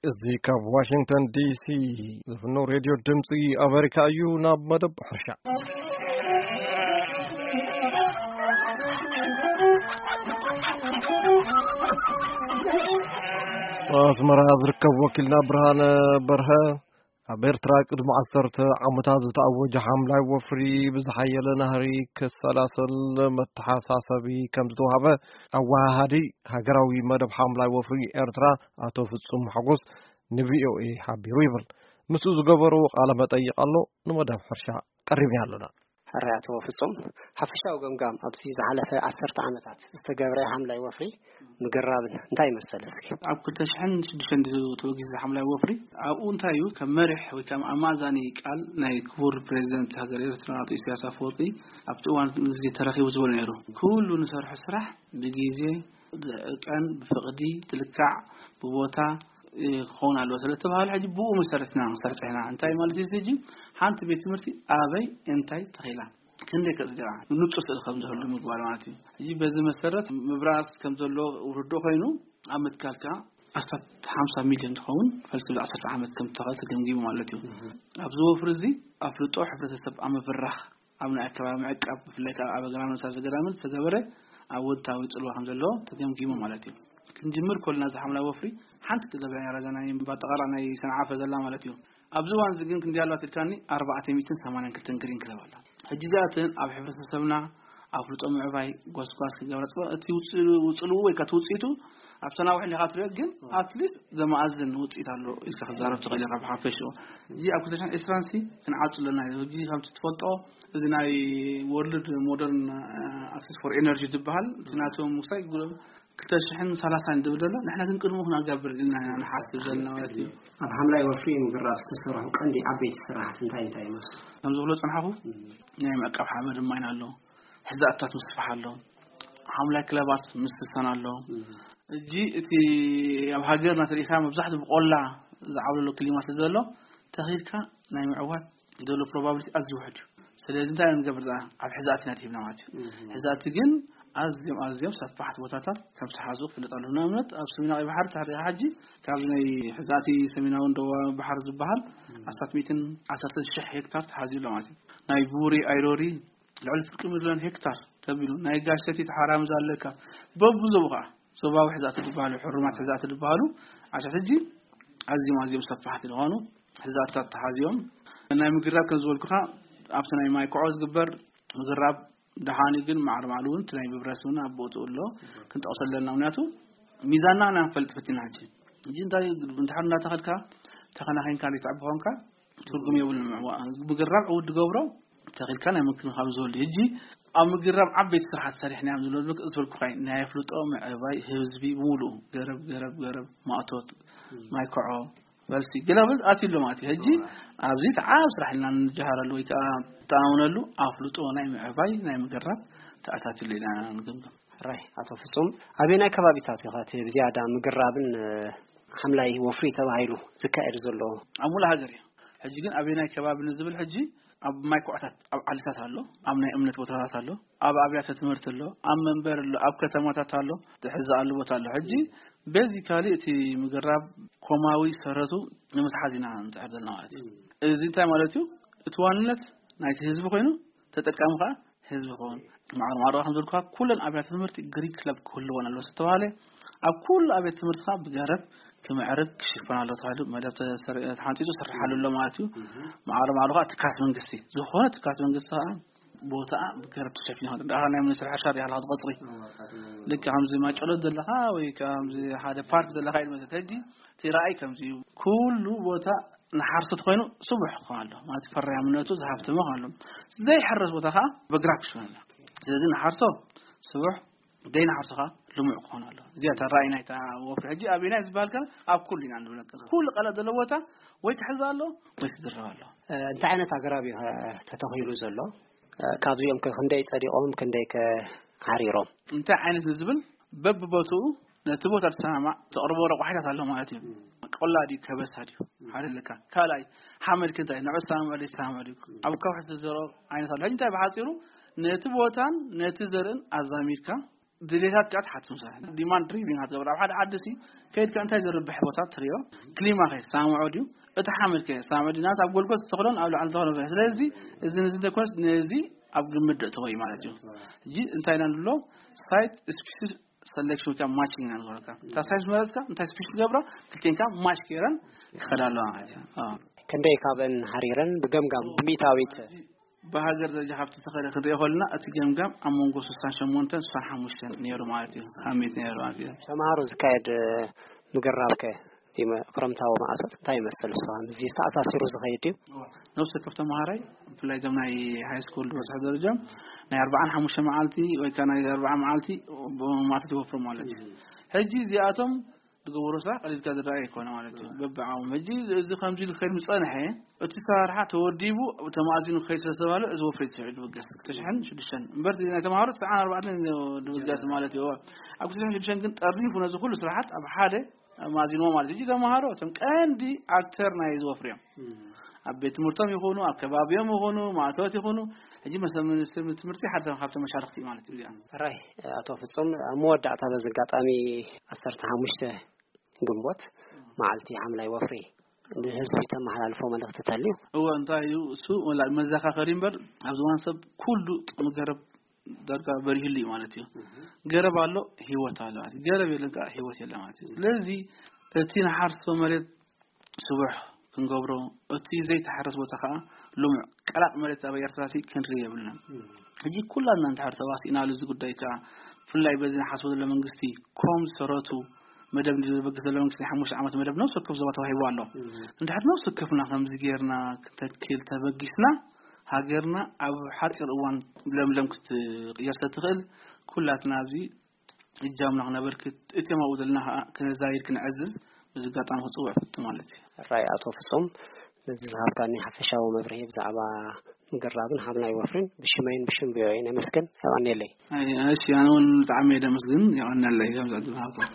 እዚ ካብ ዋሽንግተን ዲሲ ዝፍኖ ሬድዮ ድምፂ ኣሜሪካ እዩ። ናብ መደብ ሕርሻ። ኣስመራ ዝርከብ ወኪልና ብርሃነ በርሀ፣ ኣብ ኤርትራ ቅድሚ ዓሰርተ ዓመታት ዝተኣወጀ ሓምላይ ወፍሪ ብዝሓየለ ናህሪ ክሰላሰል መተሓሳሰቢ ከም ዝተዋህበ ኣወሃሃዲ ሃገራዊ መደብ ሓምላይ ወፍሪ ኤርትራ ኣቶ ፍጹም ሓጎስ ንቪኦኤ ሓቢሩ ይብል። ምስኡ ዝገበርዎ ቃለ መጠይቕ ኣሎ፣ ንመደብ ሕርሻ ቀሪብና ኣለና። ሕራይ ኣቶ ፍጹም፣ ሓፈሻዊ ገምጋም ኣብዚ ዝሓለፈ ዓሰርተ ዓመታት ዝተገብረ ሓምላይ ወፍሪ ምግራብን እንታይ ይመስል እስኪ? ኣብ ክልተ ሽሕን ሽዱሽተን ድዩ ተወጊሱ ሓምላይ ወፍሪ? ኣብኡ እንታይ እዩ ከም መሪሕ ወይ ከም ኣማዛኒ ቃል ናይ ክቡር ፕሬዚደንት ሃገር ኤርትራ ኣቶ ኢሳያስ ኣፈወርቂ ኣብቲ እዋን እዚ ተረኺቡ ዝበሎ ነይሩ። ኩሉ ንሰርሖ ስራሕ ብግዜ፣ ብዕቀን፣ ብፍቕዲ፣ ትልካዕ፣ ብቦታ ክኸውን ኣለዎ ስለተባሃለ፣ ሕጂ ብኡ መሰረት ኢና ክንሰርሕ ኢና። እንታይ ማለት እዩ? ሕጂ ሓንቲ ቤት ትምህርቲ ኣበይ እንታይ ተኺላ፣ ክንደይ ከጽድቃ፣ ንጹር ስእሊ ከም ዝህሉ ምግባር ማለት እዩ። ሕጂ በዚ መሰረት ምብራስ ከም ዘሎ ርዱእ ኮይኑ፣ ኣብ ምትካል ከኣ ኣስታት ሓምሳ ሚልዮን ዝኸውን ፈልሲ ብ ዓሰርተ ዓመት ከም እተኸለ ተገምጊሙ ማለት እዩ። ኣብዚ ወፍሪ እዚ ኣፍልጦ ሕብረተሰብ ኣብ ምብራኽ፣ ኣብ ናይ ኣከባቢ ምዕቃብ፣ ብፍላይ ከኣ ኣብ ኣግራብ ነብሳ ዘገዳምን ዝተገበረ ኣወንታዊ ጽልዋ ከም ዘለዎ ተገምጊሙ ማለት እዩ። ክንጅምር ከለና እዚ ሓምላይ ወፍሪ ሓንቲ ክገብረ ያራዛ ናይ ባጠቓላ ናይ ሰንዓፈ ዘላ ማለት እዩ። ኣብዚ እዋን እዚ ግን ክንደይ ኣለዋ ትልካኒ? ኣርባዕተ ሚእትን ሰማንያን ክልተን ግሪን ክለብ ኣላ። ሕጂ እዚኣተን ኣብ ሕብረተሰብና ኣፍልጦ ምዕባይ፣ ጎስጓስ ክገብረ ጽባ፣ እቲ ውጽ-፣ ውጽልኡ ወይ ከኣ እቲ ውጽኢቱ ኣብቲ ነዊሕ ኢኻ ትሪኦ፣ ግን ኣትሊስት ዘመኣዝን ውጽኢት ኣሎ ኢልካ ክትዛረብ ትኽእል ኢኻ ብሓፈሽኡ። እዚ ኣብ ክልተ ሽሕን ዕስራን ሲ ክንዓጹ ኣለና እዩ። ሕጂ ከምቲ ትፈልጦ፣ እዚ ናይ ወርልድ ሞደርን ኣክሰስ ፎር ኤነርጂ ዝበሃል፣ እቲ ናቶም ውሳይ ክልተ ሽሕን ሰላሳን ዝብል ዘሎ፣ ንሕና ግን ቅድሙ ክነገብር ኢልና ኢና ንሓስብ ዘለና ማለት እዩ። ኣብ ሓምላይ ወፍሪ ምግራብ ዝተሰርሑ ቀንዲ ዓበይቲ ስራሕቲ እንታይ እንታይ ይመስሉ? ከም ዝብሎ ጽንሓኹ፣ ናይ ምዕቃብ ሓመድ ማይን ኣሎ፣ ሕዛእታት ምስፋሕ ኣሎ፣ ሓምላይ ክለባት ምስሳን ኣሎ። እጂ እቲ ኣብ ሃገርና ተሪኢኻ መብዛሕትኡ ብቆላ ዝዓብለሎ ክሊማ ስለ ዘሎ፣ ተኺልካ ናይ ምዕዋት ዝደሎ ፕሮባብሊቲ ኣዝዩ ውሑድ እዩ። ስለዚ እንታይ ንገብር? ደኣ ኣብ ሕዛእቲ ኢና ድሂብና ማለት እዩ። ሕዛእቲ ግን ኣዝዮም ኣዝዮም ሰፋሕቲ ቦታታት ከም ዝሓዙ ክፍለጥ ኣለዎ። ንኣብነት ኣብ ሰሜናዊ ባሕሪ ተሕሪኻ ሕጂ ካብ ናይ ሕዛእቲ ሰሜናውን ደቡባዊ ባሕሪ ዝበሃል ኣስታት ሚእትን ዓሰርተን ሽሕ ሄክታር ተሓዝዩ ኣሎ ማለት እዩ። ናይ ቡሪ ኣይሮሪ ልዕሊ ፍርቂ ሚልዮን ሄክታር ተቢሉ፣ ናይ ጋሸቲ ተሓራምዝ ኣለካ። በብዞቡ ከዓ ዞባዊ ሕዛእቲ ዝበሃሉ፣ ሕሩማት ሕዛእቲ ዝበሃሉ ዓሻት ሕጂ ኣዝዮም ኣዝዮም ሰፋሕቲ ዝኾኑ ሕዛእታት ተሓዝዮም። ናይ ምግራብ ከም ዝበልኩኻ ኣብቲ ናይ ማይ ኮዖ ዝግበር ምግራብ ደሓን እዩ፣ ግን ማዕረ ማዕሉ እውን እቲ ናይ ምብራስ እውን ኣብ ቦትኡ ኣሎ፣ ክንጠቕሶ ኣለና። ምክንያቱ ሚዛንና ኢና ንፈልጥ ፈቲና ሕጂ። ሕጂ እንታይ እንድሕር እንዳተኸልካ ተኸናኺንካ ዘይትዕቢ ኮንካ ትርጉም የብሉን። ምዕዋ-፣ ምግራብ ዕውት ዝገብሮ ተኺልካ ናይ ምክንኻብ ዝህሉ። ሕጂ ኣብ ምግራብ ዓበይቲ ስራሓት ሰሪሕና እዮም ዝብሎ፣ ዝበልኩኻ ናይ ኣፍልጦ ምዕባይ ህዝቢ ብምሉኡ ገረብ፣ ገረብ፣ ገረብ፣ ማእቶት፣ ማይ ኮዖ፣ ፈልሲ፣ ገለ ኣትዩ ኣሎ ማለት እዩ። ሕጂ ኣብዚ ተዓብ ስራሕ ኢልና ንጀሃረሉ ወይ ከዓ ንተኣማመነሉ ኣፍልጦ ናይ ምዕባይ ናይ ምግራብ ተኣታትዩሉ ኢና ንግምግም። ሕራይ ኣቶ ፍጹም፣ ኣበየናይ ከባቢታት እዩ ከ እቲ ብዝያዳ ምግራብን፣ እ፣ ሓምላይ ወፍሪ ተባሂሉ ዝካየድ ዘሎ? ኣብ ሙሉእ ሃገር እዩ። ሕጂ ግን ኣበየናይ ከባቢ ንዝብል፣ ሕጂ ኣብ ማይ ኮዕታት፣ ኣብ ዓድታት ኣሎ፣ ኣብ ናይ እምነት ቦታታት ኣሎ፣ ኣብ ኣብያተ ትምህርቲ ኣሎ፣ ኣብ መንበሪ ኣሎ፣ ኣብ ከተማታት ኣሎ፣ ዝሕዘኣሉ ቦታ ኣሎ። ሕጂ ቤዚካሊ እቲ ምግራብ ኮማዊ ሰረቱ ንምትሓዝ ኢና ንጽዕር ዘለና ማለት እዩ። እዚ እንታይ ማለት እዩ? እቲ ዋንነት ናይቲ ህዝቢ ኮይኑ፣ ተጠቃሚ ከዓ ህዝቢ ክኸውን። ማዕረ ማዕረ ከም ዝበልኩኻ፣ ኩለን ኣብያተ ትምህርቲ ግሪን ክለብ ክህልወን ኣለዎ ዝተባሃለ፣ ኣብ ኩሉ ኣብያተ ትምህርቲ ከዓ ብገረብ ክምዕርግ ክሽፈን ኣለዎ ተባሂሉ መደብ ተሰሪ-፣ ተሓንጺጹ ይስርሓሉ ኣሎ ማለት እዩ። ማዕረ ማዕረ ከዓ ትካላት መንግስቲ፣ ዝኾነ ትካላት መንግስቲ ከዓ ቦታኣ ብገረብ ተሸፊኑ፣ ደኣ ናይ ሚኒስትሪ ሕርሻ ድያ ሃለኻ ትቐጽሪ? ልክዕ ከምዚ ማጨሎት ዘለኻ ወይ ከምዚ ሓደ ፓርክ ዘለኻ እዩ ዝመስል። ሕጂ እቲ ራእይ ከምዚ እዩ። ኩሉ ቦታ ንሓርሶት ኮይኑ ስቡሕ ክኾን ኣሎ ማለት ፈራያምነቱ ዝሃብተመ ክኾን ኣሎ። ዘይሕረስ ቦታ ከዓ በግራብ ክሽፈን ኣሎ። ስለዚ ንሓርሶ ስቡሕ፣ ዘይንሓርሶ ከዓ ልሙዕ ክኾን ኣሎ። እዚኣ እታ ራእይ ናይታ ወፍሪ። ሕጂ ኣበየናይ ዝበሃል ከ ኣብ ኩሉ ኢና ንብል። ኩሉ ቀለብ ዘለዎ ቦታ ወይ ክሕዝ ኣሎ ወይ ክዝረብ ኣሎ። እ፣ እንታይ ዓይነት ኣግራብ እዩ ከ ተተኺሉ ዘሎ? እ፣ ካብዚኦም ከ ክንደይ ጸዲቖም፣ ክንደይ ከ ሓሪሮም? እንታይ ዓይነት ንዝብል በብቦትኡ ነቲ ቦታ ዝሰማማዕ ተቕርቦ ረቋሒታት ኣሎ ማለት እዩ። ቆላ ድዩ፣ ከበሳ ድዩ? ሓደ ኣለካ። ካልኣይ፣ ሓመድ ክንታይ ንዑ ዝሰማምዕ ድዩ፣ ዝሰማምዕ ድዩ? ኣብ ከውሒ ዝዘርኦ ዓይነት ኣሎ። ሕጂ እንታይ ብሓጺሩ ነቲ ቦታን ነቲ ዘርእን ኣዛሚድካ ድሌታት ከኣ ትሓትት። ምሳሌ ዲማንድ ድሪቪን ክትገብር ኣብ ሓደ ዓዲ ሲ ከይድካ እንታይ ዝርብሕ ቦታ ትሪኦ፣ ክሊማ ከ ሳምዖ ድዩ፣ እቲ ሓመድ ከ ሳምዖ ድዩ፣ ናት ኣብ ጎልጎል ዝተኽሎን ኣብ ላዕሊ ዝተኽሎን። ስለዚ እዚ ንዚ ደኮስ ነዚ ኣብ ግምት ደእትዎ እዩ ማለት እዩ። ሕጂ እንታይ ኢና ንብሎ? ሳይት ስፒሽስ ሰሌክሽን ወይ ከዓ ማቺንግ ኢና ንገብረካ። እታ ሳይት መረፅካ እንታይ ስፒሽስ ትገብራ፣ ክልቴንካ ማች ገይረን ክኸዳ ኣለዋ ማለት እዩ። ኣዎ። ክንደይ ካብን ሃሪረን ብገምጋም ብሚእታዊት? ብሃገር ደረጃ ካብቲ ዝተኸደ ክንሪኦ ከለና እቲ ገምጋም ኣብ መንጎ ስሳን ሸሞንተን ስሳን ሓሙሽተን ነይሩ ማለት እዩ። ሃሚት ነይሩ ማለት እዩ። ተምሃሮ ዝካየድ ምግራብ ከ እቲ መ- ክረምታዊ መዓልቶት እንታይ ይመስል? እሱ ምስ ዝተኣሳሲሩ ዝኸይድ ድዩ? ነብሲ ወከፍ ተምሃራይ ብፍላይ እዞም ናይ ሃይ ስኩል ዝበፅሑ ደረጃ ናይ ኣርባዓን ሓሙሽተ መዓልቲ ወይ ከዓ ናይ ኣርባዓ መዓልቲ ማእቶት ይወፍሩ ማለት እዩ። ሕጂ እዚኣቶም ዝገበሩ ስራሕ ቀሊልካ ዝረኣይ ኣይኮነ ማለት እዩ። በብዓዎም ሕጂ እዚ ከምዚ ኢሉ ክኸይድ ምፀንሐ እቲ ሰራርሓ ተወዲቡ ተማእዚኑ ክኸይድ ስለዝተባለ እዚ ወፍሪ ትስዕድ ድብገስ ክልተ ሽሕን ሽዱሽተን እምበር ናይ ተምሃሮ ትስዓን ኣርባዕተን ድብገስ ማለት እዩ። ኣብ ክልተ ሽሕን ሽዱሽተን ግን ጠርኒፉ ነዚ ኩሉ ስራሓት ኣብ ሓደ ማዚንዎ ማለት እዩ። ተምሃሮ እቶም ቀንዲ ኣክተር ናይ እዚ ወፍሪ እዮም። ኣብ ቤት ትምህርቶም ይኹኑ ኣብ ከባቢኦም ይኹኑ ማእቶት ይኹኑ ሕጂ መሰ ትምህርቲ ሓደ ካብቶም መሻርክቲ ማለት እዩ። እዚኣ ራይ ኣቶ ፍጹም ኣብ መወዳእታ በዚ ኣጋጣሚ ዓሰርተ ሓሙሽተ ግንቦት መዓልቲ ሓምላይ ወፍሪ ንህዝቢ ተመሓላልፎ መልእኽቲ ተልዩ? እወ እንታይ እዩ እሱ ወላ መዘኻኸሪ እምበር ኣብዚ እዋን ሰብ ኩሉ ጥቕሚ ገረብ ዳርጋ በሪህሉ እዩ ማለት እዩ። ገረብ ኣሎ ህይወት ኣሎ ማለት እዩ። ገረብ የለን ከዓ ህይወት የለ ማለት እዩ። ስለዚ እቲ ንሓርሶ መሬት ስቡሕ ክንገብሮ እቲ ዘይተሓረስ ቦታ ከዓ ልሙዕ ቀላጥ መሬት ኣብ ኤርትራ ሲ ክንርኢ የብልናን። ሕጂ ኩላትና እንድሕር ተዋሲእናሉ እዚ ጉዳይ ከዓ ብፍላይ በዚ ንሓስቦ ዘሎ መንግስቲ ኮም ዝሰረቱ መደብ ንበግስ ዘሎ መንግስቲ ናይ ሓሙሽተ ዓመት መደብ ነብሲ ወከፍ ዞባ ተዋሂቡ ኣሎ። እንድሕር ነብሲ ወከፍና ከምዚ ጌርና ክንተክል ተበጊስና ሃገርና ኣብ ሓፂር እዋን ለምለም ክትቅየር ተትኽእል ኩላትና ኣብዚ እጃምና ክነበርክት እቶም ኣብኡ ዘለና ከዓ ክነዛይድ ክንዕዝዝ በዚ ኣጋጣሚ ክፅውዕ ፍቱ ማለት እዩ። ራይ ኣቶ ፍጹም ነዚ ዝሃብካኒ ሓፈሻዊ መብርሂ ብዛዕባ ምግራብን ሓምላይ ወፍሪን ብሽመይን ብሽም ቪኦኤ ነመስግን። የቐንየለይ። ኣይ፣ እሺ ኣነ እውን ብጣዕሚ እየ ደመስግን። የቐንየለይ ከምዚ ዕድል ሃብኩም።